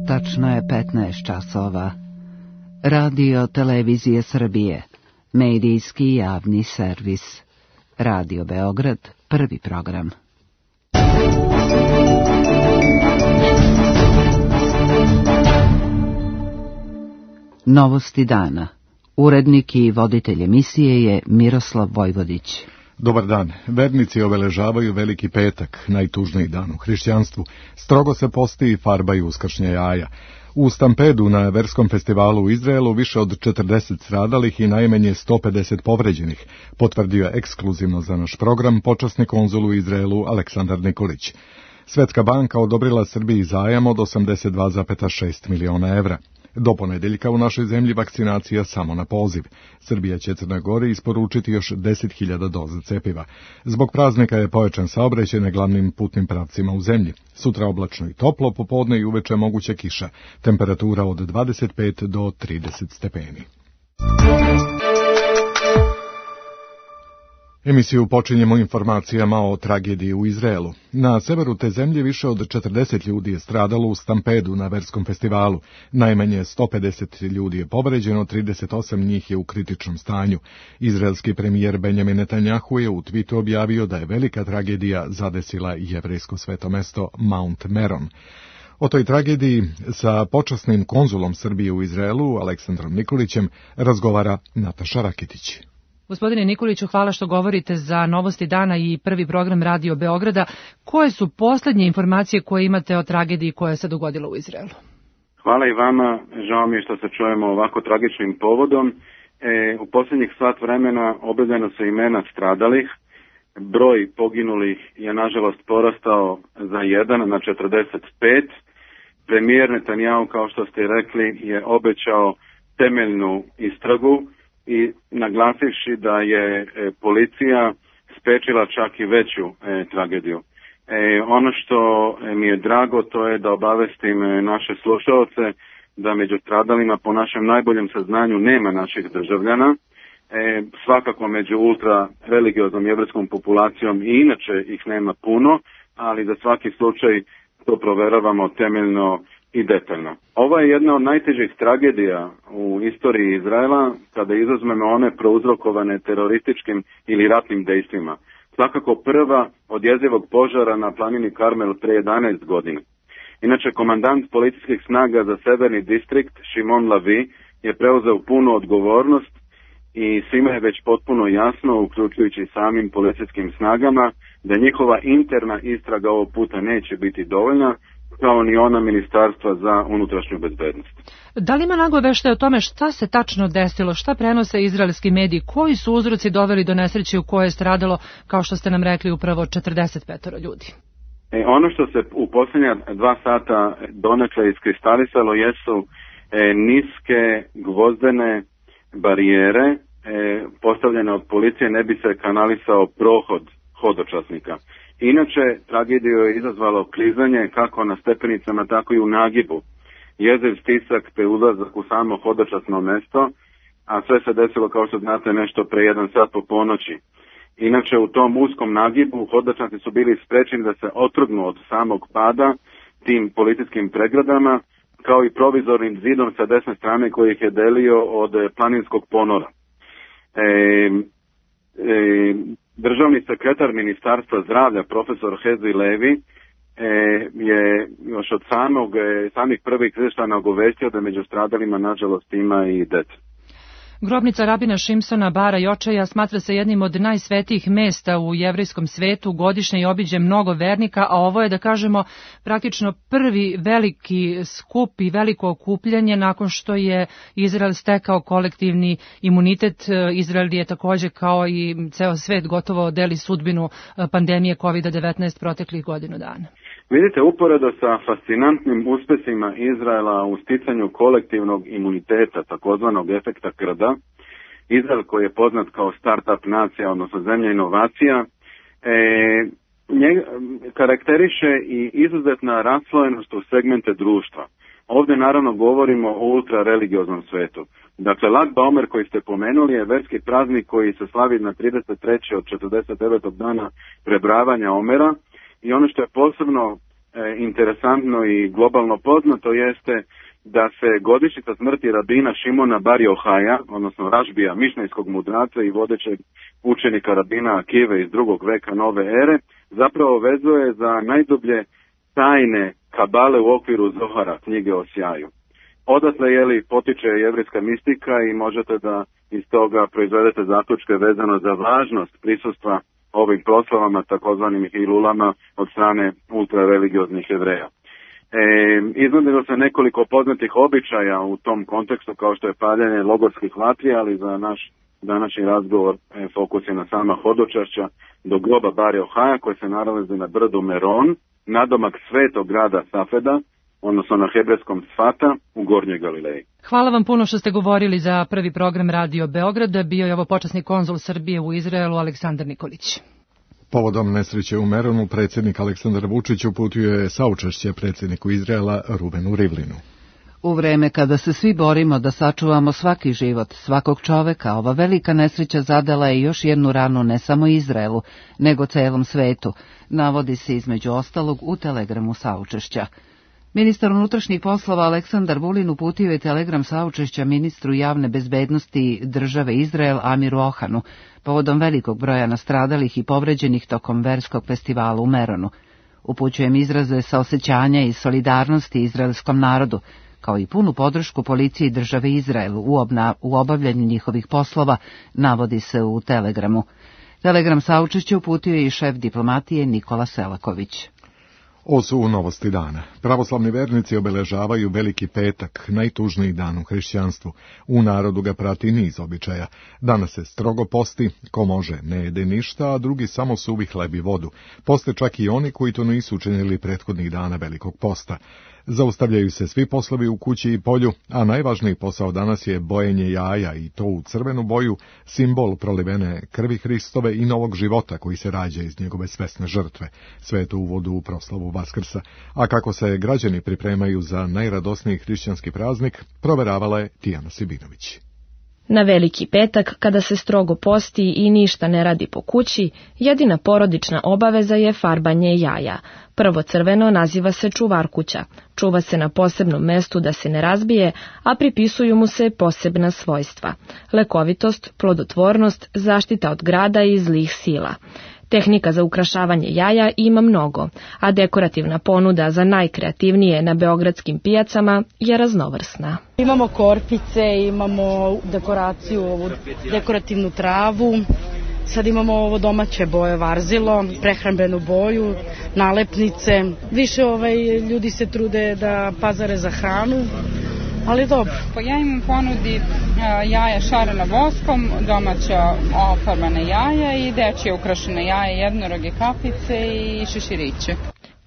Tačno je 15 časova. Radio Televizije Srbije, medijski javni servis. Radio Beograd, prvi program. Novosti dana. Urednik i voditelj emisije je Miroslav Vojvodić. Dobar dan. Vernici obeležavaju Veliki petak, najtužniji dan u hrišćanstvu. Strogo se posti i farbaju uskršnja jaja. U stampedu na verskom festivalu u Izraelu više od 40 stradalih i najmanje 150 povređenih, potvrdio ekskluzivno za naš program počasni konzul u Izraelu Aleksandar Nikolić. Svetska banka odobrila Srbiji zajam od 82,6 miliona evra. Do ponedeljka u našoj zemlji vakcinacija samo na poziv. Srbija će Crnoj Gori isporučiti još 10.000 doza cepiva. Zbog praznika je pojačan saobraćaj na glavnim putnim pravcima u zemlji. Sutra oblačno i toplo, popodne i uveče moguća kiša. Temperatura od 25 do 30 stepeni. Emisiju počinjemo informacijama o tragediji u Izraelu. Na severu te zemlje više od 40 ljudi je stradalo u stampedu na verskom festivalu. Najmanje 150 ljudi je povređeno, 38 njih je u kritičnom stanju. Izraelski premijer Benjamin Netanjahu je u twitu objavio da je velika tragedija zadesila jevrejsko sveto mesto Mount Meron. O toj tragediji sa počasnim konzulom Srbije u Izraelu, Aleksandrom Nikolićem, razgovara Nataša Rakitić. Gospodine Nikoliću, hvala što govorite za Novosti dana i prvi program Radio Beograda. Koje su posljednje informacije koje imate o tragediji koja se dogodila u Izraelu? Hvala i vama. Žao mi je što se čujemo ovako tragičnim povodom. U posljednjih sat vremena objavljena su imena stradalih. Broj poginulih je nažalost porastao za 1 na 45. Premijer Netanjahu, kao što ste rekli, je obećao temeljnu istragu i naglasivši da je policija spriječila čak i veću tragediju. Ono što mi je drago, to je da obavestim naše slušaoce da među stradalima po našem najboljem saznanju nema naših državljana. Svakako među ultra religioznom jevrijskom populacijom i inače ih nema puno, ali za svaki slučaj to proveravamo temeljno i detaljno. Ovo je jedna od najtežih tragedija u istoriji Izraela kada izuzmemo one prouzrokovane terorističkim ili ratnim dejstvima. Svakako prva od jezivog požara na planini Karmel pre 11 godina. Inače, komandant policijskih snaga za severni distrikt, Šimon Lavi, je preuzeo punu odgovornost i svima je već potpuno jasno, uključujući samim policijskim snagama, da njihova interna istraga ovog puta neće biti dovoljna, kao ni ona Ministarstva za unutrašnju bezbednost. Da li ima nagoveštaje o tome šta se tačno desilo, šta prenose izraelski mediji, koji su uzroci doveli do nesreće u kojoj je stradalo, kao što ste nam rekli, upravo 45 ljudi? Ono što se u posljednja 2 sata donekle iskristalisalo jesu niske gvozdene barijere postavljene od policije, ne bi se kanalisao prohod hodočasnika. Inače, tragediju je izazvalo klizanje kako na stepenicama, tako i u nagibu. Jeziv stisak te ulazak u samo hodočasno mesto, a sve se desilo, kao što znate, nešto pre 1 sat po ponoći. Inače, u tom uskom nagibu hodočasnici su bili sprečeni da se otrgnu od samog pada tim policijskim pregradama, kao i provizornim zidom sa desne strane koji ih je delio od planinskog ponora. Državni sekretar Ministarstva zdravlja, profesor Hezi Levi, je još od samih prvih izvještaja nagovestio da među stradalima nažalost ima i dece. Grobnica rabina Šimsona Bara Jočaja smatra se jednim od najsvetijih mesta u jevrijskom svetu, godišnje i obiđe mnogo vernika, a ovo je, da kažemo, praktično prvi veliki skup i veliko okupljanje nakon što je Izrael stekao kolektivni imunitet. Izrael je također, kao i ceo svet, gotovo deli sudbinu pandemije COVID-19 proteklih godinu dana. Vidite, uporedo sa fascinantnim uspesima Izraela u sticanju kolektivnog imuniteta, takozvanog efekta krda, Izrael, koji je poznat kao start-up nacija, odnosno zemlja inovacija, karakteriše i izuzetna raslojenost u segmente društva. Ovdje naravno govorimo o ultrareligioznom svetu. Dakle, Lag Baomer koji ste pomenuli je verski praznik koji se slavi na 33. od 49. dana prebravanja Omera. I ono što je posebno interesantno i globalno poznato jeste da se godišnjica smrti rabina Šimona bar Johaja, odnosno Rašbija, mišnejskog mudraca i vodećeg učenika rabina Akive iz 2. veka nove ere, zapravo vezuje za najdublje tajne kabale u okviru Zohara, knjige o sjaju. Odatle potiče jevrijska mistika i možete da iz toga proizvedete zaključke vezano za važnost prisustva ovim proslavama, takozvanim hilulama, od strane ultrareligioznih Jevreja. Iznudilo se nekoliko poznatih običaja u tom kontekstu, kao što je paljenje logorskih vatri, ali za naš današnji razgovor fokus je na sama hodočašća do groba Bar Johaja, koji se nalazi na brdu Meron, nadomak svetog grada Safeda, odnosno na hebrejskom Sfata u Gornjoj Galileji. Hvala vam puno što ste govorili za prvi program Radio Beograda. Bio je ovo počasni konzul Srbije u Izraelu Aleksandar Nikolić. Povodom nesreće u Meronu, predsjednik Aleksandar Vučić uputio je saučešće predsjedniku Izraela Ruvenu Rivlinu. U vreme kada se svi borimo da sačuvamo svaki život, svakog čoveka, ova velika nesreća zadala je još jednu ranu ne samo Izraelu, nego celom svetu, navodi se između ostalog u telegramu saučešća. Ministar unutrašnjih poslova Aleksandar Vulin uputio je telegram saučešća ministru javne bezbednosti države Izrael Amiru Ohanu, povodom velikog broja nastradalih i povređenih tokom verskog festivala u Meronu. Upućujem izraze saosećanja i solidarnosti izraelskom narodu, kao i punu podršku policiji države Izrael u obavljanju njihovih poslova, navodi se u telegramu. Telegram saučešća uputio je i šef diplomatije Nikola Selaković. Ovo su novosti dana. Pravoslavni vernici obeležavaju Veliki petak, najtužniji dan u hrišćanstvu. U narodu ga prati niz običaja. Danas se strogo posti, ko može ne jede ništa, a drugi samo suvi hleb i vodu. Poste čak i oni koji to nisu učinili prethodnih dana Velikog posta. Zaustavljaju se svi poslovi u kući i polju, a najvažniji posao danas je bojenje jaja i to u crvenu boju, simbol prolivene krvi Hristove i novog života koji se rađa iz njegove svesne žrtve. Sve je to uvod u proslavu Vaskrsa. A kako se građani pripremaju za najradosniji hrišćanski praznik, proveravala je Tijana Sibinović. Na Veliki petak, kada se strogo posti i ništa ne radi po kući, jedina porodična obaveza je farbanje jaja. Prvo crveno naziva se čuvarkuća. Čuva se na posebnom mestu da se ne razbije, a pripisuju mu se posebna svojstva. Lekovitost, plodotvornost, zaštita od grada i zlih sila. Tehnika za ukrašavanje jaja ima mnogo, a dekorativna ponuda za najkreativnije na beogradskim pijacama je raznovrsna. Imamo korpice, imamo dekoraciju, ovu dekorativnu travu, sad imamo ovo domaće boje varzilo, prehrambenu boju, nalepnice. Više ljudi se trude da pazare za hranu, ali dobro. Ja imam ponudi jaja šarena voskom, domaća ofarbana jaja i dečje ukrašene jaja, jednoroge kapice i šeširiće.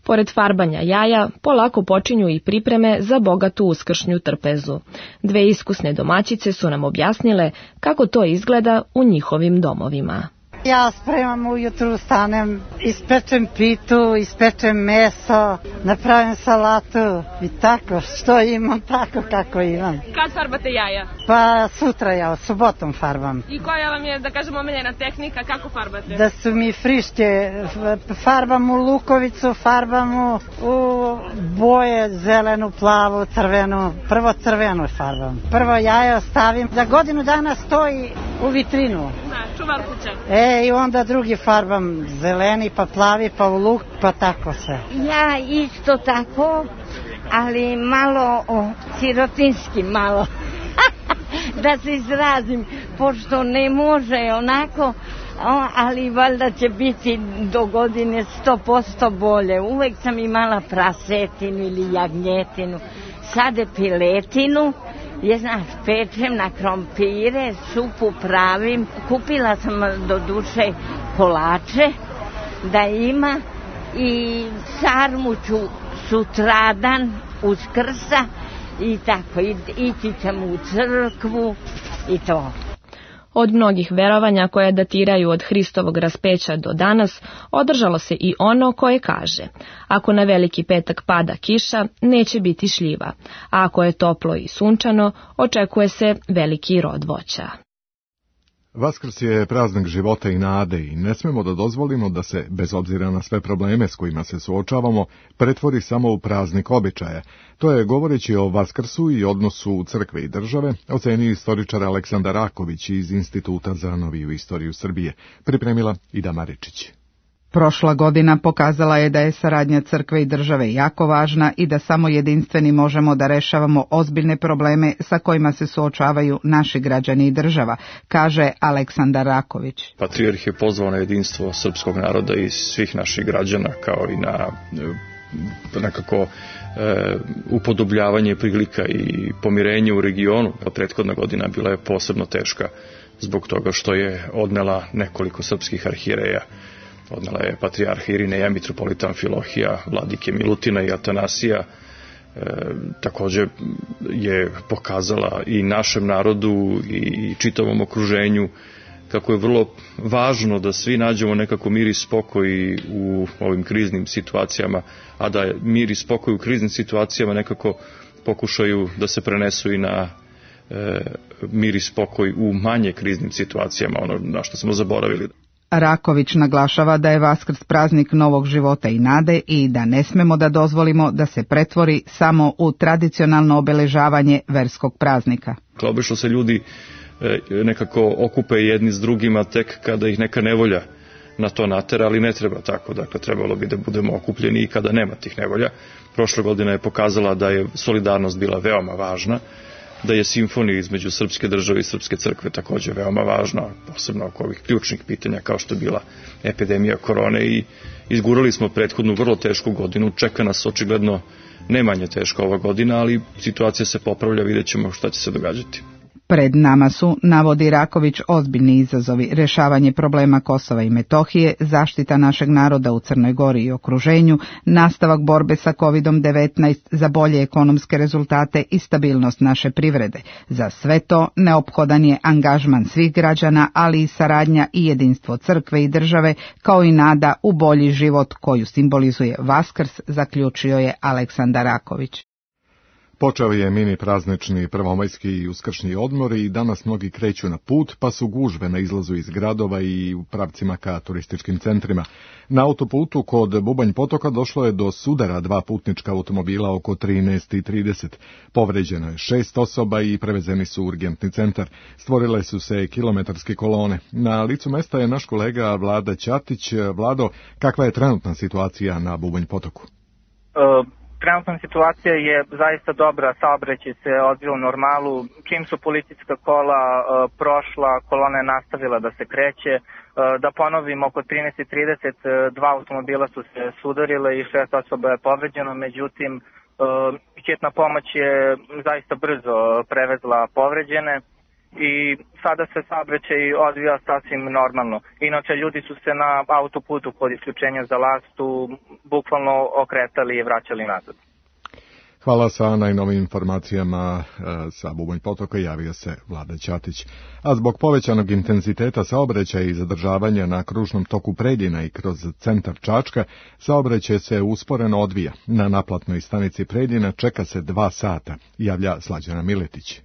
Pored farbanja jaja, polako počinju i pripreme za bogatu uskršnju trpezu. Dve iskusne domaćice su nam objasnile kako to izgleda u njihovim domovima. Ja spremam ujutru, stanem, ispečem pitu, ispečem meso, napravim salatu i tako, što imam, tako kako imam. Kad farbate jaja? Pa sutra ja, subotom farbam. I koja vam je, da kažemo, omiljena tehnika, kako farbate? Da su mi friške, farbam u lukovicu, farbam u boje, zelenu, plavu, crvenu, prvo crvenu farbam. Prvo jajo stavim, za godinu dana stoji u vitrinu. Čuvar kuća. I onda drugi farbam, zeleni, pa plavi, pa u luk, pa tako sve. Ja isto tako, ali malo sirotinski, malo, da se izrazim, pošto ne može onako, ali valjda će biti do godine 100% bolje. Uvek sam imala prasetinu ili jagnjetinu, sade piletinu. Pečem na krompire, supu pravim, kupila sam do duše kolače da ima i sarmu ću sutradan Uskrsa i tako, ići ćemo u crkvu i to. Od mnogih verovanja koje datiraju od Hristovog raspeća do danas, održalo se i ono koje kaže: ako na Veliki petak pada kiša, neće biti šljiva, a ako je toplo i sunčano, očekuje se veliki rod voća. Vaskrs je praznik života i nade i ne smemo da dozvolimo da se, bez obzira na sve probleme s kojima se suočavamo, pretvori samo u praznik običaja. To je, govoreći o Vaskrsu i odnosu crkve i države, ocenio istoričar Aleksandar Raković iz Instituta za noviju istoriju Srbije. Pripremila Ida Maričić. Prošla godina pokazala je da je saradnja crkve i države jako važna i da samo jedinstveni možemo da rešavamo ozbiljne probleme sa kojima se suočavaju naši građani i država, kaže Aleksandar Raković. Patrijarh je pozvao na jedinstvo srpskog naroda i svih naših građana, kao i na nekako upodobljavanje prilika i pomirenje u regionu. Prethodna godina bila je posebno teška zbog toga što je odnela nekoliko srpskih arhijereja. Odnela je patrijarha Irineja, mitropolita Amfilohija, vladike Milutina i Atanasija. Također je pokazala i našem narodu i čitavom okruženju kako je vrlo važno da svi nađemo nekako mir i spokoj u ovim kriznim situacijama, a da mir i spokoj u kriznim situacijama nekako pokušaju da se prenesu i na mir i spokoj u manje kriznim situacijama, ono na što smo zaboravili. Raković naglašava da je Vaskrs praznik novog života i nade i da ne smemo da dozvolimo da se pretvori samo u tradicionalno obeležavanje verskog praznika. Obično se ljudi nekako okupe jedni s drugima tek kada ih neka nevolja na to natera, ali ne treba tako. Dakle, trebalo bi da budemo okupljeni i kada nema tih nevolja. Prošla godina je pokazala da je solidarnost bila veoma važna, da je simfonija između srpske države i srpske crkve također veoma važna, posebno oko ovih ključnih pitanja kao što je bila epidemija korone, i izgurali smo prethodnu vrlo tešku godinu. Čeka nas očigledno ne manje teška ova godina, ali situacija se popravlja, vidjet ćemo šta će se događati. Pred nama su, navodi Raković, ozbiljni izazovi: rešavanje problema Kosova i Metohije, zaštita našeg naroda u Crnoj Gori i okruženju, nastavak borbe sa COVID-19 za bolje ekonomske rezultate i stabilnost naše privrede. Za sve to neophodan je angažman svih građana, ali i saradnja i jedinstvo crkve i države, kao i nada u bolji život koju simbolizuje Vaskrs, zaključio je Aleksandar Raković. Počeo je mini praznični prvomajski i uskršnji odmor i danas mnogi kreću na put, pa su gužve na izlazu iz gradova i u pravcima ka turističkim centrima. Na autoputu kod Bubanj potoka došlo je do sudara dva putnička automobila oko 13:30. Povređeno je 6 osoba i prevezeni su u urgentni centar. Stvorile su se kilometarske kolone. Na licu mesta je naš kolega Vlada Ćatić. Vlado, kakva je trenutna situacija na Bubanj potoku? Trenutna situacija je zaista dobra, saobraćaj se odvija u normalu. Čim su policijska kola prošla, kolona je nastavila da se kreće. Da ponovim, oko 13:30 dva automobila su se sudarile i 6 osoba je povređeno, međutim hitna pomoć je zaista brzo prevezla povređene i sada se saobraćaj odvija sasvim normalno. Inače, ljudi su se na autoputu kod isključenja za Lastu bukvalno okretali i vraćali nazad. Hvala. Sa najnovim informacijama sa Bubanj potoka javio se Vlada Ćatić. A zbog povećanog intenziteta saobraćaja i zadržavanja na kružnom toku Preljina i kroz centar Čačka, saobraćaj se usporeno odvija. Na naplatnoj stanici Preljina čeka se 2 sata, javlja Slađana Miletić.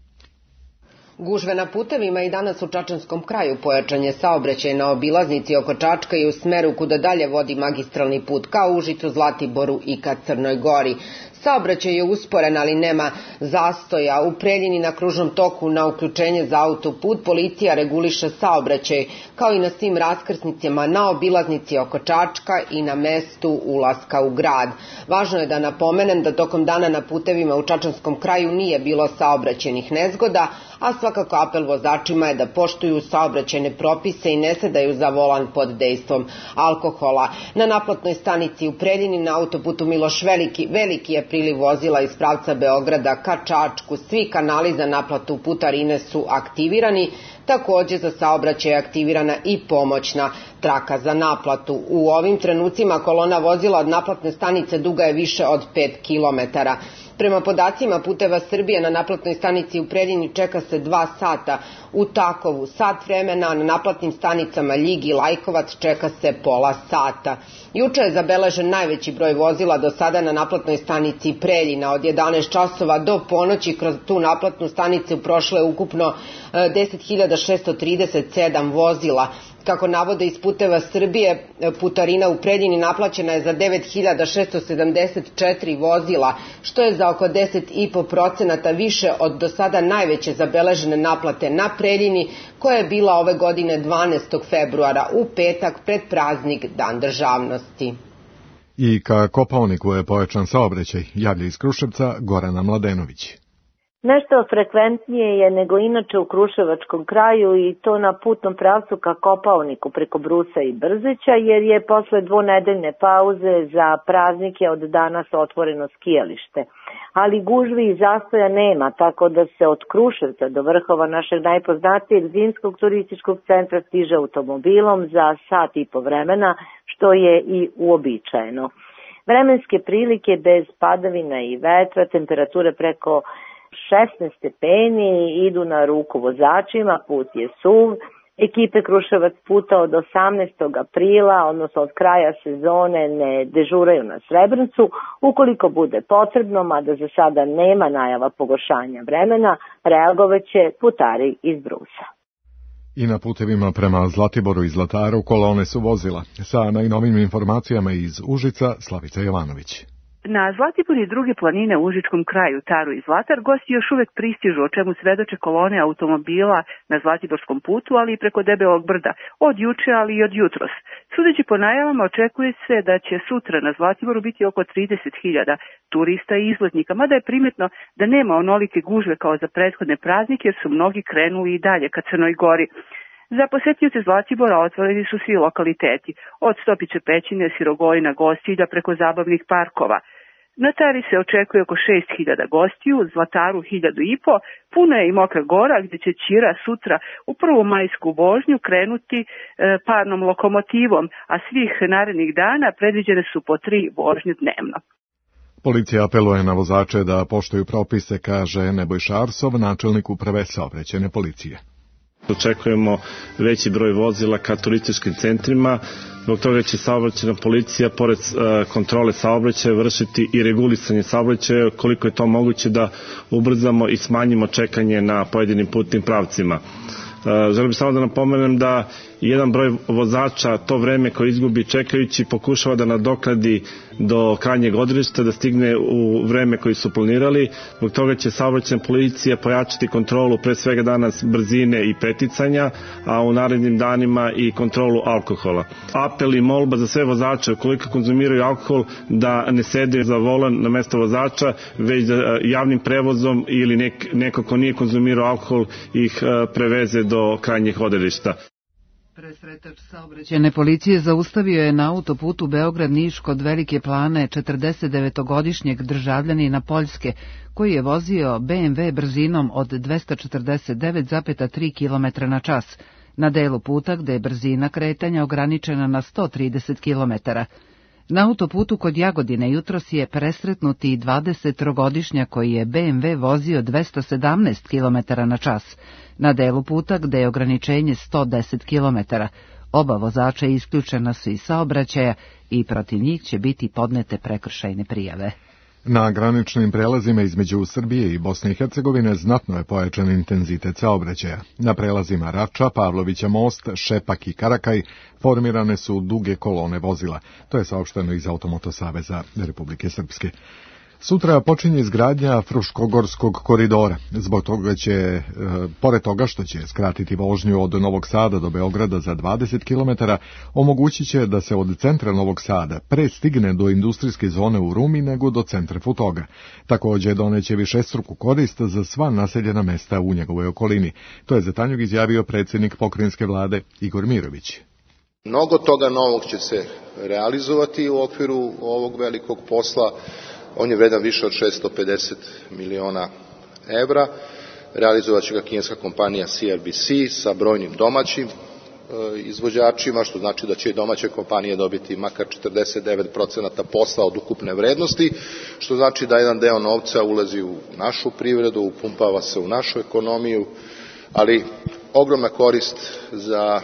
Gužve na putevima i danas u Čačanskom kraju, pojačan je saobraćaj na obilaznici oko Čačka i u smeru kuda dalje vodi magistralni put ka Užicu, Zlatiboru i ka Crnoj Gori. Saobraćaj je usporen, ali nema zastoja. U Preljini na kružnom toku na uključenje za autoput policija reguliše saobraćaj, kao i na svim raskrsnicama na obilaznici oko Čačka i na mestu ulaska u grad. Važno je da napomenem da tokom dana na putevima u Čačanskom kraju nije bilo saobraćajnih nezgoda, a svakako apel vozačima je da poštuju saobraćajne propise i ne sedaju za volan pod dejstvom alkohola. Na naplatnoj stanici u Preljini na autoputu Miloš Veliki je priliv vozila iz pravca Beograda ka Čačku. Svi kanali za naplatu putarine su aktivirani. Također za saobraćaj je aktivirana i pomoćna traka za naplatu. U ovim trenucima kolona vozila od naplatne stanice duga je više od 5 kilometara. Prema podacima Puteva Srbije na naplatnoj stanici u Preljini čeka se 2 sata, u Takovu sat vremena, a na naplatnim stanicama Ljig i Lajkovac čeka se pola sata. Juče je zabeležen najveći broj vozila do sada na naplatnoj stanici Preljina. Od 11 časova do ponoći kroz tu naplatnu stanicu prošlo je ukupno 10.637 vozila. Kako navode iz Puteva Srbije, putarina u Preljini naplaćena je za 9.674 vozila, što je za oko 10,5% više od do sada najveće zabeležene naplate na Preljini, koja je bila ove godine 12. februara u petak pred praznik Dan državnosti. I ka Kopaoniku je pojačan saobraćaj, javlja iz Kruševca Gorana Mladenović. Nešto frekventnije je nego inače u Kruševačkom kraju i to na putnom pravcu ka Kopaoniku preko Brusa i Brzeća, jer je posle dvonedeljne pauze za praznike od danas otvoreno skijalište. Ali gužvi i zastoja nema, tako da se od Kruševca do vrhova našeg najpoznatijeg zimskog turističkog centra stiže automobilom za sat i po vremena, što je i uobičajeno. Vremenske prilike bez padavina i vetra, temperature preko 16 stepeni idu na ruku vozačima, put je suv. Ekipe Kruševac puta od 18. aprila, odnosno od kraja sezone, ne dežuraju na Srebrncu. Ukoliko bude potrebno, mada za sada nema najava pogoršanja vremena, reagovaće putari iz Brusa. I na putevima prema Zlatiboru i Zlataru kolone su vozila. Sa najnovim informacijama iz Užica, Slavica Jovanović. Na Zlatibor i druge planine u Užičkom kraju, Taru i Zlatar, gosti još uvek pristižu, o čemu svedoče kolone automobila na Zlatiborskom putu, ali i preko Debelog brda, od juče, ali i od jutros. Sudeći po najavama, očekuje se da će sutra na Zlatiboru biti oko 30.000 turista i izletnika, mada je primetno da nema onolike gužve kao za prethodne praznike, jer su mnogi krenuli i dalje ka Crnoj Gori. Za posetioce Zlatibora otvoreni su svi lokaliteti, od Stopiće pećine, Sirogojina, Gostilja preko zabavnih parkova. Na Tari se očekuje oko 6.000 gostiju, Zlataru 1.500, puno je i Mokra Gora gdje će Ćira sutra u prvu majsku vožnju krenuti parnom lokomotivom, a svih narednih dana predviđene su po 3 vožnje dnevno. Policija apeluje na vozače da poštuju propise, kaže Nebojša Arsov, načelnik uprave saobraćajne policije. Očekujemo veći broj vozila ka turističkim centrima, zbog toga će saobraćajna policija pored kontrole saobraćaja vršiti i regulisanje saobraćaja koliko je to moguće da ubrzamo i smanjimo čekanje na pojedinim putnim pravcima. Želim samo da napomenem da jedan broj vozača to vreme koje izgubi čekajući pokušava da nadoknadi do krajnjeg odredišta, da stigne u vreme koji su planirali. Zbog toga će saobraćajna policija pojačati kontrolu pre svega danas brzine i preticanja, a u narednim danima i kontrolu alkohola. Apel i molba za sve vozače ukoliko konzumiraju alkohol da ne sede za volan na mesto vozača, već da javnim prevozom ili neko ko nije konzumirao alkohol ih preveze do krajnjih odredišta. Presretač saobraćajne policije zaustavio je na autoputu Beograd-Niš kod Velike Plane 49-godišnjeg državljanina Poljske, koji je vozio BMW brzinom od 249,3 km na čas, na delu puta gde je brzina kretanja ograničena na 130 km. Na autoputu kod Jagodine jutros je presretnuti 23-godišnjak koji je BMW vozio 217 km na čas, na delu puta gde je ograničenje 110 km. Oba vozača isključena su iz saobraćaja i protiv njih će biti podnete prekršajne prijave. Na graničnim prelazima između Srbije i Bosne i Hercegovine znatno je pojačan intenzitet saobraćaja. Na prelazima Rača, Pavlovića most, Šepak i Karakaj formirane su duge kolone vozila. To je saopšteno iz Automoto saveza Republike Srpske. Sutra počinje izgradnja Fruškogorskog koridora. Zbog toga će, pored toga što će skratiti vožnju od Novog Sada do Beograda za 20 km, omogućit će da se od centra Novog Sada pre stigne do industrijske zone u Rumi nego do centra Futoga. Također doneće višestruku korist za sva naseljena mesta u njegovoj okolini. To je za Tanjug izjavio predsjednik pokrajinske vlade Igor Mirović. Mnogo toga novog će se realizovati u okviru ovog velikog posla. On je vredan više od 650 miliona evra. Realizovat će ga kineska kompanija CRBC sa brojnim domaćim izvođačima, što znači da će i domaće kompanije dobiti makar 49% posla od ukupne vrednosti, što znači da jedan deo novca ulazi u našu privredu, upumpava se u našu ekonomiju, ali ogromna korist za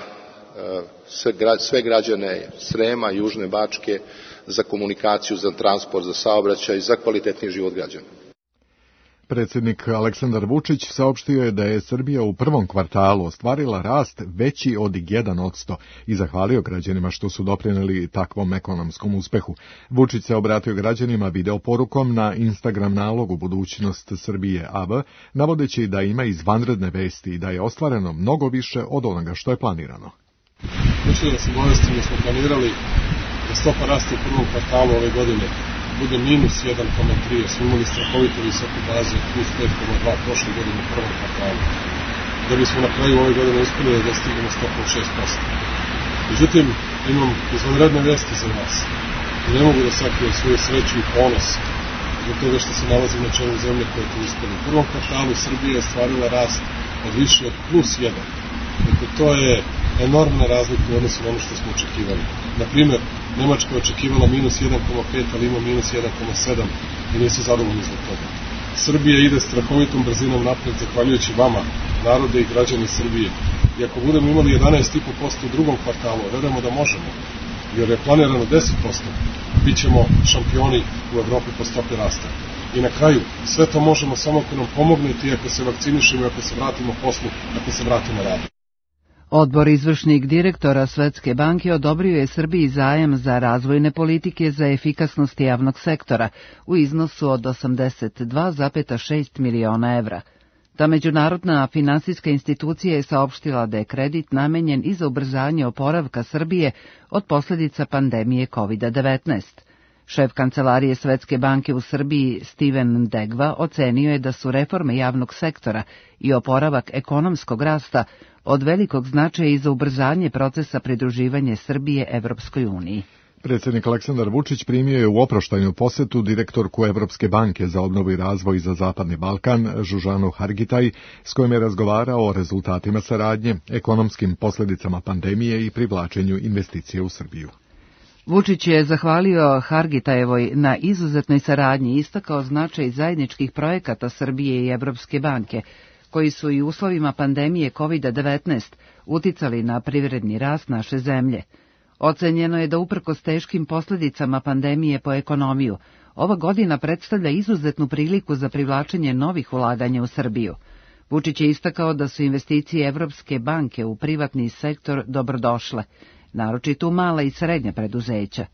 sve građane Srema, Južne Bačke, za komunikaciju, za transport, za saobraćaj, za kvalitetniji život građana. Predsjednik Aleksandar Vučić saopštio je da je Srbija u prvom kvartalu ostvarila rast veći od 1% i zahvalio građanima što su doprinijeli takvom ekonomskom uspehu. Vučić se obratio građanima videoporukom na Instagram nalogu Budućnost Srbije AB, navodeći da ima izvanredne vesti i da je ostvareno mnogo više od onoga što je planirano. Hoću da se obavestim da smo planirali da stopa rasta u prvom kvartalu ove godine bude minus 1,3, jer smo imali strahovito visoku bazu od plus 5,2 prošle godine u prvom kvartalu, da bismo na kraju ove godine uspeli da dostignemo stopu od 6%. Međutim, imam izvanredne vesti za vas i ne mogu da sakrijem svoju sreću i ponos zbog toga što se nalazim na čelu zemlje koje je to uspeli. U prvom kvartalu Srbija je stvarila rast od više od plus 1. Dakle, to je enormna razlika u odnosu na ono što smo očekivali. Naprimer, Nemačka je očekivala minus 1,5, ali ima minus 1,7 i nisu zadovoljni zbog toga. Srbija ide strahovitom brzinom napred zahvaljujući vama, narode i građani Srbije. I ako budemo imali 11,5% u drugom kvartalu, verujemo da možemo, jer je planirano 10%, bit ćemo šampioni u Evropi po stopi rasta. I na kraju, sve to možemo samo ako nam pomognete i ako se vakcinišemo, ako se vratimo poslu, ako se vratimo radu. Odbor izvršnih direktora Svetske banke odobrio je Srbiji zajam za razvojne politike za efikasnost javnog sektora u iznosu od 82,6 miliona evra. Ta međunarodna finansijska institucija je saopštila da je kredit namenjen i za ubrzanje oporavka Srbije od posljedica pandemije COVID-19. Šef kancelarije Svetske banke u Srbiji Steven Degva ocenio je da su reforme javnog sektora i oporavak ekonomskog rasta od velikog značaja i za ubrzanje procesa pridruživanja Srbije Evropskoj uniji. Predsjednik Aleksandar Vučić primio je u oproštajnu posetu direktorku Evropske banke za obnovu i razvoj za Zapadni Balkan, Žužanu Hargitaj, s kojom je razgovarao o rezultatima saradnje, ekonomskim posljedicama pandemije i privlačenju investicije u Srbiju. Vučić je zahvalio Hargitajevoj na izuzetnoj saradnji i istakao značaj zajedničkih projekata Srbije i Evropske banke, koji su i u uslovima pandemije COVID-19 uticali na privredni rast naše zemlje. Ocenjeno je da uprkos teškim posljedicama pandemije po ekonomiju, ova godina predstavlja izuzetnu priliku za privlačenje novih ulaganja u Srbiju. Vučić je istakao da su investicije Evropske banke u privatni sektor dobrodošle, naročito u mala i srednja preduzeća.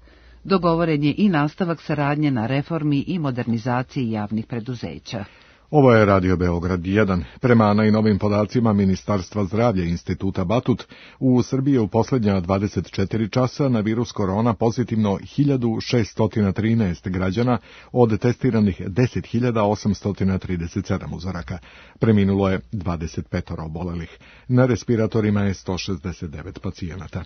Dogovoren je i nastavak saradnje na reformi i modernizaciji javnih preduzeća. Ovo je Radio Beograd 1. Prema najnovim podacima Ministarstva zdravlja i Instituta Batut, u Srbiji je u posljednja 24 časa na virus korona pozitivno 1613 građana od testiranih 10.837 uzoraka. Preminulo je 25 obolelih. Na respiratorima je 169 pacijenata.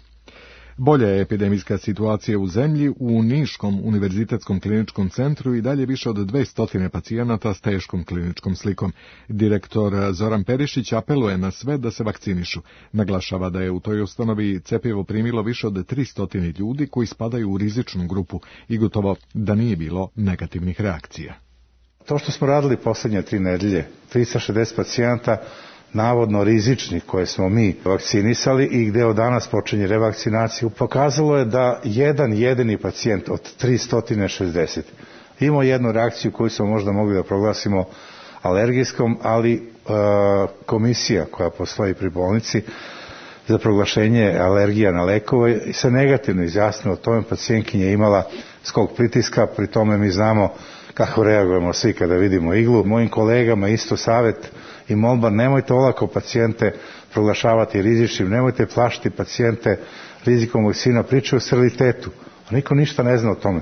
Bolja je epidemijska situacija u zemlji. U Niškom univerzitetskom kliničkom centru i dalje više od 200 pacijenata s teškom kliničkom slikom. Direktor Zoran Perišić apeluje na sve da se vakcinišu. Naglašava da je u toj ustanovi cjepivo primilo više od 300 ljudi koji spadaju u rizičnu grupu i gotovo da nije bilo negativnih reakcija. To što smo radili posljednje 3 nedelje, 360 pacijenata, navodno rizičnih koje smo mi vakcinisali i gde od danas počinje revakcinaciju, pokazalo je da jedan jedini pacijent od 360 imao jednu reakciju koju smo možda mogli da proglasimo alergijskom, ali komisija koja postoji pri bolnici za proglašenje alergija na lekove se negativno izjasnila o tome. Pacijentkinja je imala skok pritiska, pri tome mi znamo kako reagujemo svi kada vidimo iglu. Mojim kolegama isto savjet i molba, nemojte olako pacijente proglašavati rizičnim, nemojte plašiti pacijente rizikom vakcina, pričaju o sterilitetu, a niko ništa ne zna o tome.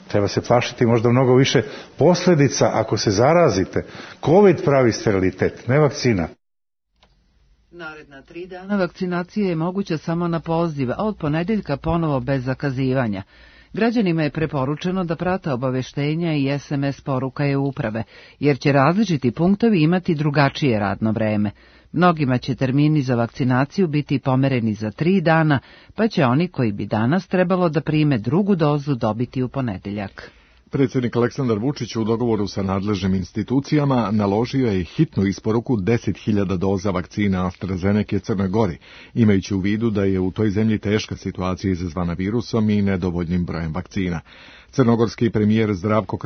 Treba se plašiti možda mnogo više posljedica ako se zarazite. COVID pravi sterilitet, ne vakcina. Naredna 3 dana vakcinacija je moguća samo na poziv, a od ponedjeljka ponovo bez zakazivanja. Građanima je preporučeno da prate obaveštenja i SMS poruka uprave, jer će različiti punktovi imati drugačije radno vreme. Mnogima će termini za vakcinaciju biti pomereni za 3 dana, pa će oni koji bi danas trebalo da prime drugu dozu dobiti u ponedeljak. Predsjednik Aleksandar Vučić u dogovoru sa nadležnim institucijama naložio je hitnu isporuku 10.000 doza vakcina AstraZeneca Crnoj Gori, imajući u vidu da je u toj zemlji teška situacija izazvana virusom i nedovoljnim brojem vakcina. Crnogorski premijer Zdravko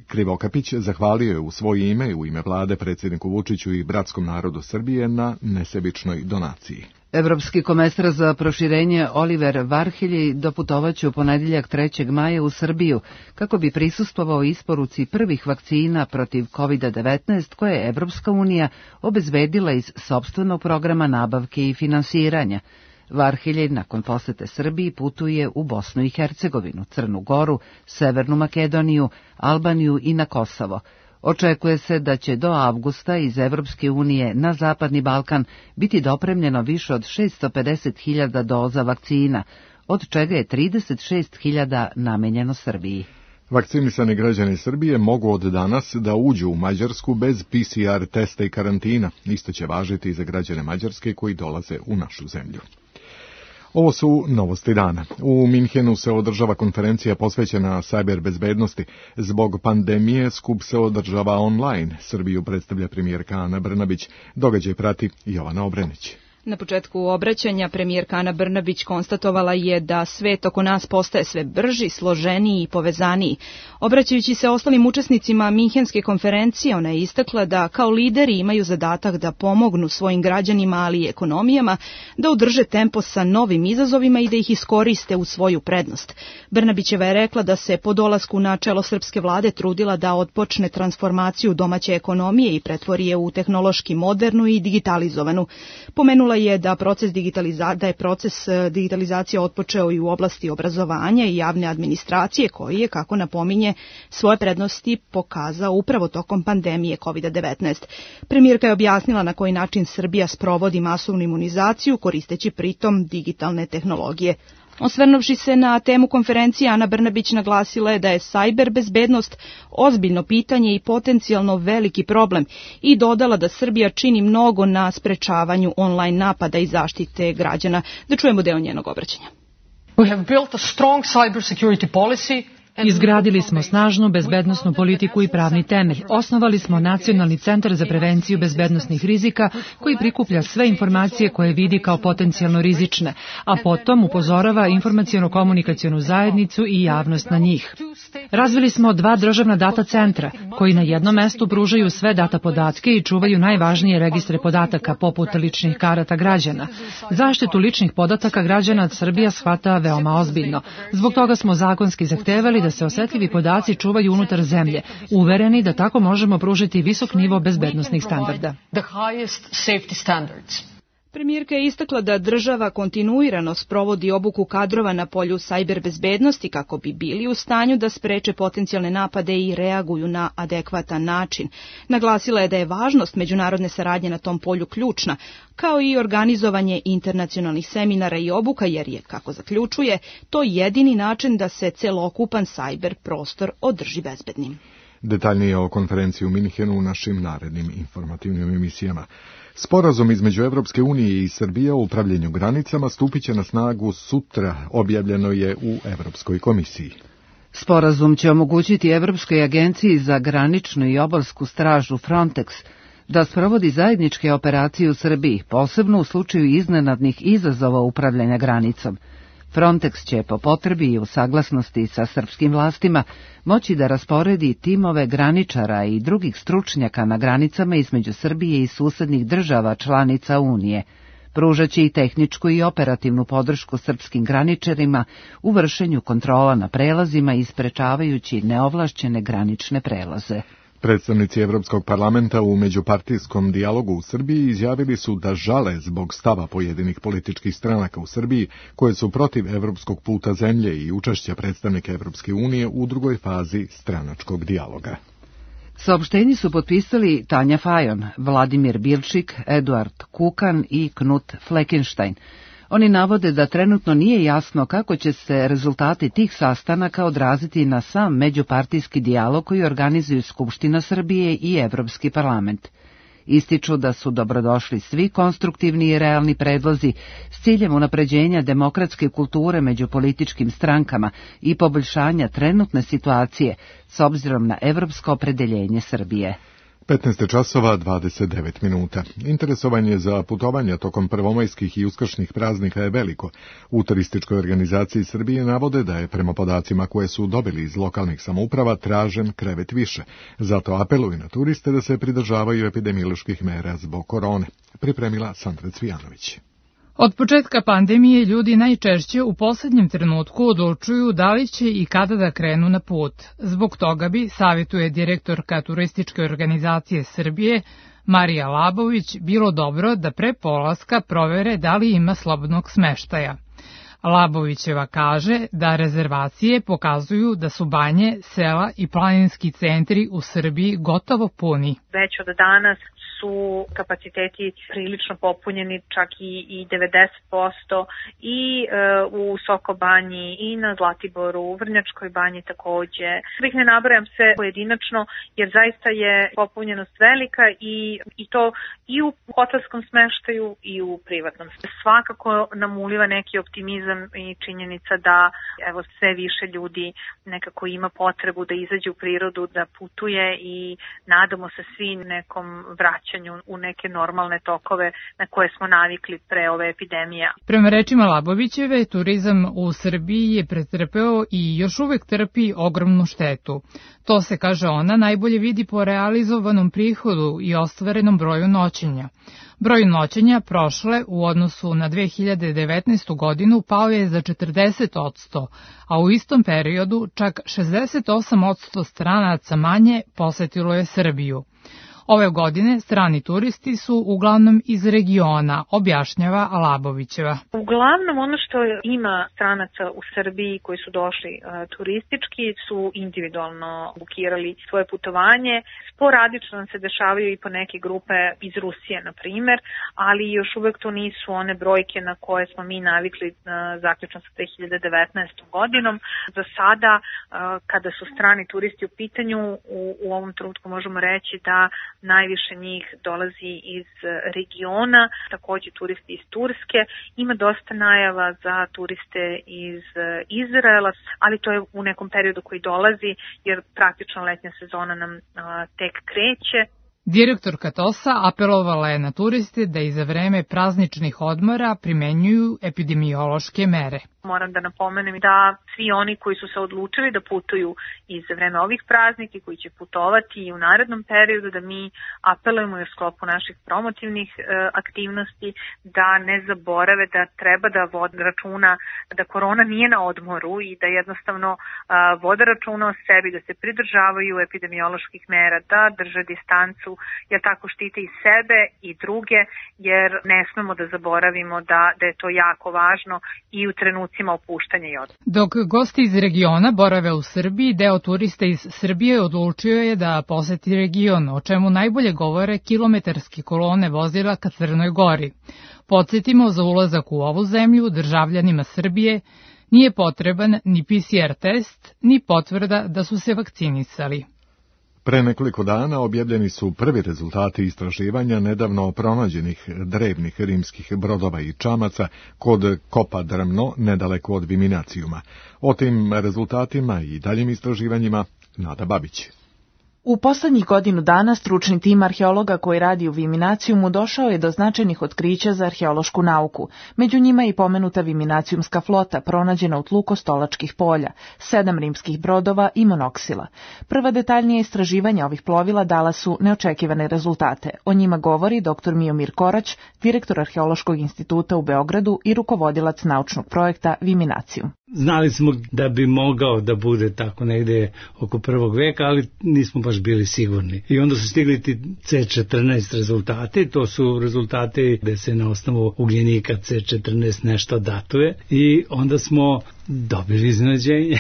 Krivokapić zahvalio je u svoje ime i u ime vlade predsjedniku Vučiću i bratskom narodu Srbije na nesebičnoj donaciji. Evropski komesar za proširenje Oliver Varhelji doputovaće u ponedeljak 3. maja u Srbiju kako bi prisustvovao isporuci prvih vakcina protiv COVID-19 koje je Evropska unija obezbedila iz sopstvenog programa nabavke i finansiranja. Varhelji nakon posete Srbiji putuje u Bosnu i Hercegovinu, Crnu Goru, Severnu Makedoniju, Albaniju i na Kosovo. Očekuje se da će do avgusta iz Evropske unije na Zapadni Balkan biti dopremljeno više od 650.000 doza vakcina, od čega je 36.000 namenjeno Srbiji. Vakcinisani građani Srbije mogu od danas da uđu u Mađarsku bez PCR testa i karantina. Isto će važiti i za građane Mađarske koji dolaze u našu zemlju. Ovo su novosti dana. U Minhenu se održava konferencija posvećena sajber bezbednosti. Zbog pandemije skup se održava online. Srbiju predstavlja premijerka Ana Brnabić. Događaj prati Jovana Obrenić. Na početku obraćanja premijerka Ana Brnabić konstatovala je da svet oko nas postaje sve brži, složeniji i povezaniji. Obraćajući se ostalim učesnicima Minhenske konferencije, ona je istakla da kao lideri imaju zadatak da pomognu svojim građanima, ali i ekonomijama, da udrže tempo sa novim izazovima i da ih iskoriste u svoju prednost. Brnabićeva je rekla da se po dolasku na čelo srpske vlade trudila da otpočne transformaciju domaće ekonomije i pretvori je u tehnološki modernu i digitalizovanu. Pomenula je da je proces digitalizacije otpočeo i u oblasti obrazovanja i javne administracije, koji je, kako napominje, svoje prednosti pokazao upravo tokom pandemije COVID-19. Premijerka je objasnila na koji način Srbija sprovodi masovnu imunizaciju koristeći pritom digitalne tehnologije. Osvrnuvši se na temu konferencije, Ana Brnabić naglasila je da je sajber bezbednost ozbiljno pitanje i potencijalno veliki problem i dodala da Srbija čini mnogo na sprečavanju online napada i zaštite građana. Da čujemo deo njenog obraćanja. We have built a strong cybersecurity policy. Izgradili smo snažnu bezbednosnu politiku i pravni temelj. Osnovali smo Nacionalni centar za prevenciju bezbednosnih rizika koji prikuplja sve informacije koje vidi kao potencijalno rizične, a potom upozorava informaciono-komunikacionu zajednicu i javnost na njih. Razvili smo 2 državna data centra koji na jednom mestu pružaju sve data podatke i čuvaju najvažnije registre podataka poput ličnih karata građana. Zaštitu ličnih podataka građana Srbija shvata veoma ozbiljno. Zbog toga smo zakonski zahtevali da se osetljivi podaci čuvaju unutar zemlje, uvereni da tako možemo pružiti visok nivo bezbednosnih standarda. Premijerka je istakla da država kontinuirano sprovodi obuku kadrova na polju sajber bezbednosti kako bi bili u stanju da spreče potencijalne napade i reaguju na adekvatan način. Naglasila je da je važnost međunarodne saradnje na tom polju ključna, kao i organizovanje internacionalnih seminara i obuka, jer je, kako zaključuje, to jedini način da se celokupan sajber prostor održi bezbednim. Detaljnije o konferenciji u Minhenu u našim narednim informativnim emisijama. Sporazum između Evropske unije i Srbije o upravljanju granicama stupit će na snagu sutra, objavljeno je u Evropskoj komisiji. Sporazum će omogućiti Evropskoj agenciji za graničnu i obalsku stražu Frontex da sprovodi zajedničke operacije u Srbiji, posebno u slučaju iznenadnih izazova upravljanja granicom. Frontex će po potrebi i u saglasnosti sa srpskim vlastima moći da rasporedi timove graničara i drugih stručnjaka na granicama između Srbije i susednih država članica Unije. Pružaće i tehničku i operativnu podršku srpskim graničarima u vršenju kontrola na prelazima i sprečavajući neovlašćene granične prelaze. Predstavnici Evropskog parlamenta u međupartijskom dijalogu u Srbiji izjavili su da žale zbog stava pojedinih političkih stranaka u Srbiji koje su protiv evropskog puta zemlje i učešća predstavnika Evropske unije u drugoj fazi stranačkog dijaloga. Saopštenje su potpisali Tanja Fajon, Vladimir Bilčik, Eduard Kukan i Knut Fleckenstein. Oni navode da trenutno nije jasno kako će se rezultati tih sastanaka odraziti na sam međupartijski dijalog koji organizuju Skupština Srbije i Evropski parlament. Ističu da su dobrodošli svi konstruktivni i realni predlozi s ciljem unapređenja demokratske kulture među političkim strankama i poboljšanja trenutne situacije s obzirom na evropsko opredeljenje Srbije. 15 časova 29 minuta. Interesovanje za putovanja tokom prvomajskih i uskršnjih praznika je veliko. U turističkoj organizaciji Srbije navode da je prema podacima koje su dobili iz lokalnih samouprava tražen krevet više. Zato apeluju na turiste da se pridržavaju epidemioloških mera zbog korone. Pripremila Sandra Cvijanović. Od početka pandemije ljudi najčešće u posljednjem trenutku odlučuju da li će i kada da krenu na put. Zbog toga bi, savjetuje direktorka Turističke organizacije Srbije, Marija Labović, bilo dobro da pre polaska provere da li ima slobodnog smeštaja. Labovićeva kaže da rezervacije pokazuju da su banje, sela i planinski centri u Srbiji gotovo puni. Već od danas su kapaciteti prilično popunjeni, čak i 90%, i u Sokobanji, i na Zlatiboru, u Vrnjačkoj banji takođe. Da ih ne nabrajam sve pojedinačno, jer zaista je popunjenost velika i to i u hotelskom smeštaju i u privatnom. Svakako nam uliva neki optimizam i činjenica da evo sve više ljudi nekako ima potrebu da izađe u prirodu, da putuje i nadamo se svi nekom vraćanju u neke normalne tokove na koje smo navikli pre ove epidemije. Prema rečima Labovićeve, turizam u Srbiji je pretrpeo i još uvek trpi ogromnu štetu. To se, kaže ona, najbolje vidi po realizovanom prihodu i ostvarenom broju noćenja. Broj noćenja prošle u odnosu na 2019. godinu pao je za 40%, a u istom periodu čak 68% stranaca manje posetilo je Srbiju. Ove godine strani turisti su uglavnom iz regiona, objašnjava Labovićeva. Uglavnom ono što ima stranaca u Srbiji koji su došli turistički su individualno bukirali svoje putovanje. Sporadično nam se dešavaju i po neke grupe iz Rusije, na primer, ali još uvek to nisu one brojke na koje smo mi navikli zaključno sa 2019. godinom. Za sada, kada su strani turisti u pitanju, u ovom trenutku možemo reći da najviše njih dolazi iz regiona, takođe turisti iz Turske. Ima dosta najava za turiste iz Izraela, ali to je u nekom periodu koji dolazi, jer praktično letnja sezona nam tek kreće. Direktorka TOS-a apelovala je na turiste da i za vreme prazničnih odmora primenjuju epidemiološke mere. Moram da napomenem da svi oni koji su se odlučili da putuju i za vreme ovih praznika i koji će putovati i u narednom periodu, da mi apelujemo u sklopu naših promotivnih aktivnosti da ne zaborave da treba da vode računa da korona nije na odmoru i da jednostavno vode računa o sebi, da se pridržavaju epidemioloških mera, da drže distancu, jer tako štite i sebe i druge, jer ne smemo da zaboravimo da je to jako važno i u trenucima opuštanja i odmora. Dok gosti iz regiona borave u Srbiji, deo turista iz Srbije odlučio je da poseti region, o čemu najbolje govore kilometarske kolone vozila ka Crnoj Gori. Podsjetimo, za ulazak u ovu zemlju državljanima Srbije nije potreban ni PCR test, ni potvrda da su se vakcinisali. Pre nekoliko dana objavljeni su prvi rezultati istraživanja nedavno pronađenih drevnih rimskih brodova i čamaca kod Kopa Drmno, nedaleko od Viminacijuma. O tim rezultatima i daljim istraživanjima Nada Babić. U poslednjih godinu dana stručni tim arheologa koji radi u Viminacijumu došao je do značajnih otkrića za arheološku nauku. Među njima i pomenuta Viminacijumska flota, pronađena u tlu Kostolačkih polja, 7 rimskih brodova i monoksila. Prva detaljnija istraživanja ovih plovila dala su neočekivane rezultate. O njima govori dr. Miomir Korać, direktor Arheološkog instituta u Beogradu i rukovodilac naučnog projekta Viminacijum. Znali smo da bi mogao da bude tako negde oko 1. veka, ali nismo baš bili sigurni. I onda su stigli ti C14 rezultati, to su rezultati gde se na osnovu ugljenika C14 nešto datuje i onda smo dobili iznenađenje,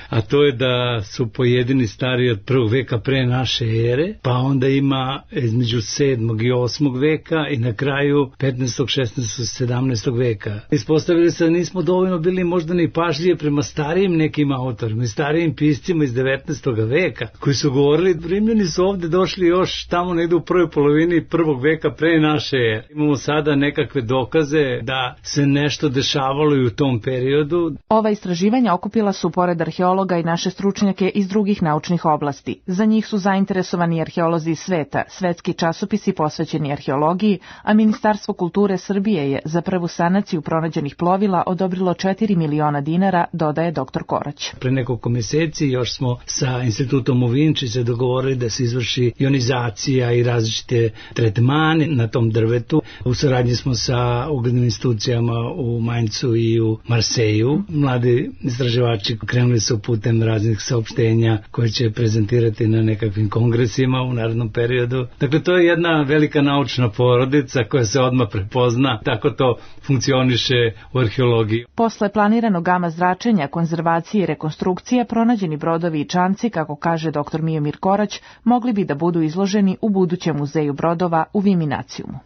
a to je da su pojedini stariji od 1. veka pre naše ere, pa onda ima između 7. i 8. veka i na kraju 15. 16. 17. veka. Ispostavili se da nismo dovoljno bili možda ni pažljivi prema starijim nekim autorima i starijim piscima iz 19. veka, koji su govorili, Rimljani su ovde došli još tamo negde u prvoj polovini 1. veka pre naše ere. Imamo sada nekakve dokaze da se nešto dešavalo i u tom periodu. Ova istraživanja okupila su pored arheologa i naše stručnjake iz drugih naučnih oblasti. Za njih su zainteresovani arheolozi iz sveta, svetski časopisi posvećeni arheologiji, a Ministarstvo kulture Srbije je za prvu sanaciju pronađenih plovila odobrilo 4 miliona dinara, dodaje dr. Korać. Pre nekoliko meseci još smo sa institutom u Vinči se dogovorili da se izvrši ionizacija i različite tretmane na tom drvetu. U saradnji smo sa uglednim institucijama u Maincu i u Marseju. Mladi istraživači krenuli su putem raznih saopštenja koje će prezentirati na nekakvim kongresima u narednom periodu. Dakle, to je jedna velika naučna porodica koja se odmah prepozna. Tako to funkcioniše u arheologiji. Posle planiranog gama zračenja, konzervacije i rekonstrukcije, pronađeni brodovi i čamci, kako kaže dr. Mijomir Korać, mogli bi da budu izloženi u budućem muzeju brodova u Viminacijumu.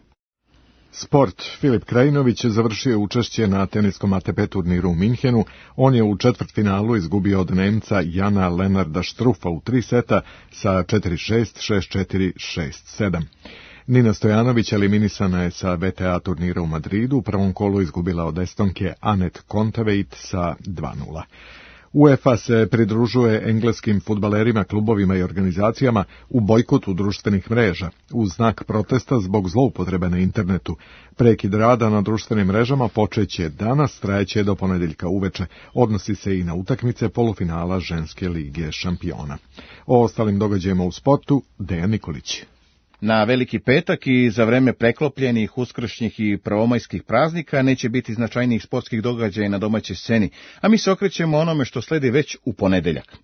Sport. Filip Krajinović završio učešće na teniskom ATP turniru u Minhenu. On je u četvrtfinalu izgubio od Nemca Jana Lenarda Štrufa u 3 seta sa 4-6, 6-4, 6-7. Nina Stojanović eliminisana je sa WTA turnira u Madridu. U prvom kolu izgubila od Estonke Anet Kontaveit sa 2-0. UEFA se pridružuje engleskim fudbalerima, klubovima i organizacijama u bojkotu društvenih mreža u znak protesta zbog zloupotrebe na internetu. Prekid rada na društvenim mrežama počeće danas, trajeće do ponedeljka uveče. Odnosi se i na utakmice polufinala ženske lige šampiona. O ostalim događajima u sportu, Dejan Nikolić. Na Veliki petak i za vreme preklopljenih, uskršnjih i prvomajskih praznika neće biti značajnijih sportskih događaja na domaćoj sceni, a mi se okrećemo onome što sledi već u ponedeljak.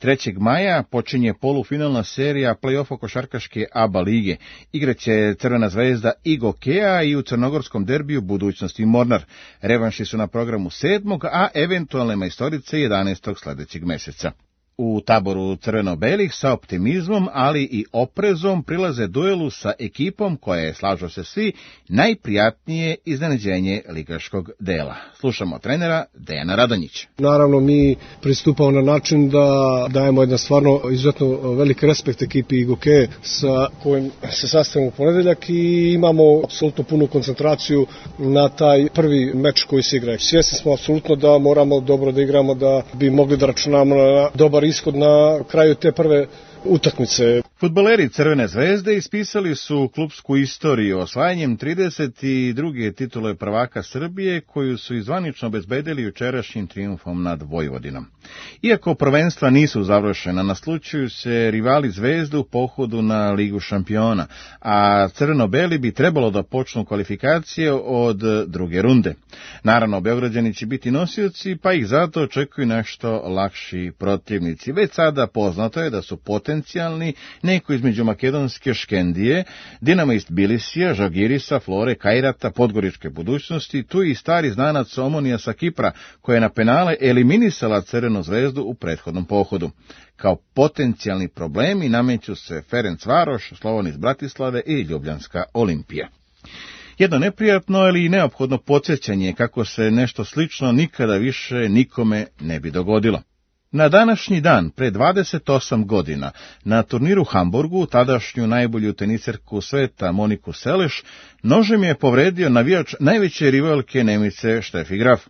3. maja počinje polufinalna serija play-offa košarkaške ABA lige. Igraće Crvena zvezda i Gokeja i u crnogorskom derbiju Budućnost i Mornar. Revanši su na programu 7. a eventualne majstorice 11. sledećeg meseca. U taboru crveno-belih sa optimizmom, ali i oprezom prilaze duelu sa ekipom koja je, slažu se svi, najprijatnije iznenađenje ligaškog dela. Slušamo trenera Dejana Radonjića. Naravno, mi pristupamo na način da dajemo jedan stvarno izuzetno veliki respekt ekipi Igoke sa kojim se sastavimo u ponedeljak i imamo apsolutno punu koncentraciju na taj prvi meč koji se igra. Svjesni smo apsolutno da moramo dobro da igramo, da bi mogli da računamo na dobar ishod na kraju te prve utakmice. Fudbaleri Crvene zvezde ispisali su klupsku istoriju osvajanjem 32. titule prvaka Srbije, koju su izvanično obezbedili jučerašnjim trijumfom nad Vojvodinom. Iako prvenstva nisu završena, naslučuju se rivali Zvezde u pohodu na Ligu šampiona, a crveno-beli bi trebalo da počnu kvalifikacije od druge runde. Naravno, Beograđani će biti nosioci, pa ih zato očekuju nešto lakši protivnici. Već sada poznato je da su potencijalni neko između makedonske Škendije, Dinamo-ist Bilisija, Žalgirisa, Flore, Kajrata, Podgoričke Budućnosti, tu i stari znanac Omonija sa Kipra, koja je na penale eliminisala Crvenu zvezdu u prethodnom pohodu. Kao potencijalni problemi nameću se Ferencvaroš, Slovan iz Bratislave i Ljubljanska Olimpija. Jedno neprijatno, ali i neophodno podsjećanje kako se nešto slično nikada više nikome ne bi dogodilo. Na današnji dan, pre 28 godina, na turniru u Hamburgu, tadašnju najbolju teniserku sveta Moniku Seleš, nožem je povredio navijač najveće rivalke Nemice Steffi Graf.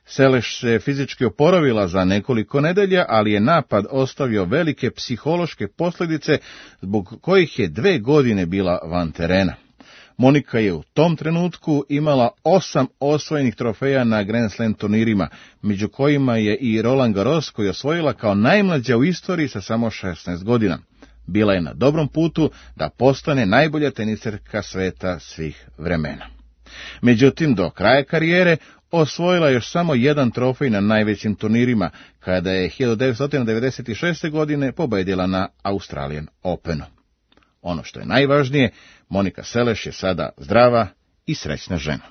Seleš se fizički oporavila za nekoliko nedelja, ali je napad ostavio velike psihološke posljedice, zbog kojih je 2 godine bila van terena. Monika je u tom trenutku imala 8 osvojenih trofeja na Grand Slam turnirima, među kojima je i Roland Garros, koji je osvojila kao najmlađa u istoriji sa samo 16 godina. Bila je na dobrom putu da postane najbolja teniserka sveta svih vremena. Međutim, do kraja karijere osvojila još samo 1 trofej na najvećim turnirima, kada je 1996. godine pobedila na Australian Openu. Ono što je najvažnije, Monika Seleš je sada zdrava i srećna žena.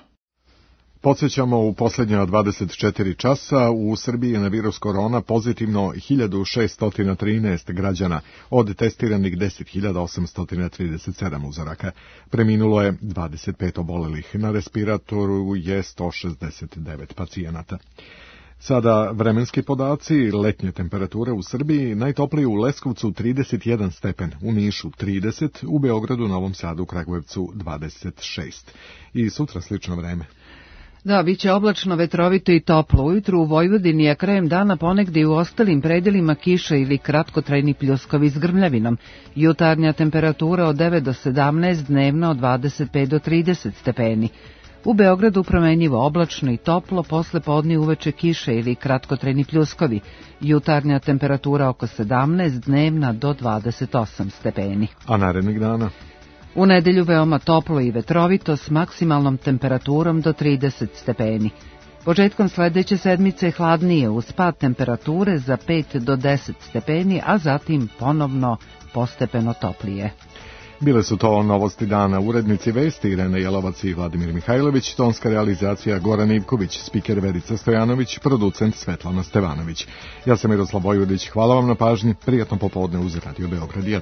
Podsjećamo, u posljednja 24 časa u Srbiji je na virus korona pozitivno 1613 građana od testiranih 10.837 uzoraka. Preminulo je 25 obolelih, na respiratoru je 169 pacijenata. Sada vremenski podaci, letnje temperature u Srbiji, najtoplije u Leskovcu 31 stepen, u Nišu 30, u Beogradu, Novom Sadu, Kragujevcu 26. I sutra slično vreme. Da, bit će oblačno, vetrovito i toplo. Ujutru u Vojvodini, a krajem dana ponegdje u ostalim predelima kiša ili kratkotrajni pljuskovi s grmljavinom. Jutarnja temperatura od 9 do 17, dnevno od 25 do 30 stepeni. U Beogradu promenjivo oblačno i toplo, posle podne uveče kiše ili kratkotrajni pljuskovi. Jutarnja temperatura oko 17, dnevna do 28 stepeni. A narednih dana? U nedelju veoma toplo i vetrovito s maksimalnom temperaturom do 30 stepeni. Početkom sledeće sedmice hladnije uz pad temperature za 5 do 10 stepeni, a zatim ponovno postepeno toplije. Bile su to novosti dana. Urednici vesti Irena Jelovac i Vladimir Mihajlović, tonska realizacija Goran Ivković, spiker Verica Stojanović, producent Svetlana Stevanović. Ja sam Miroslav Vojvodić, hvala vam na pažnji, prijatno popodne uz Radio Beograd 1.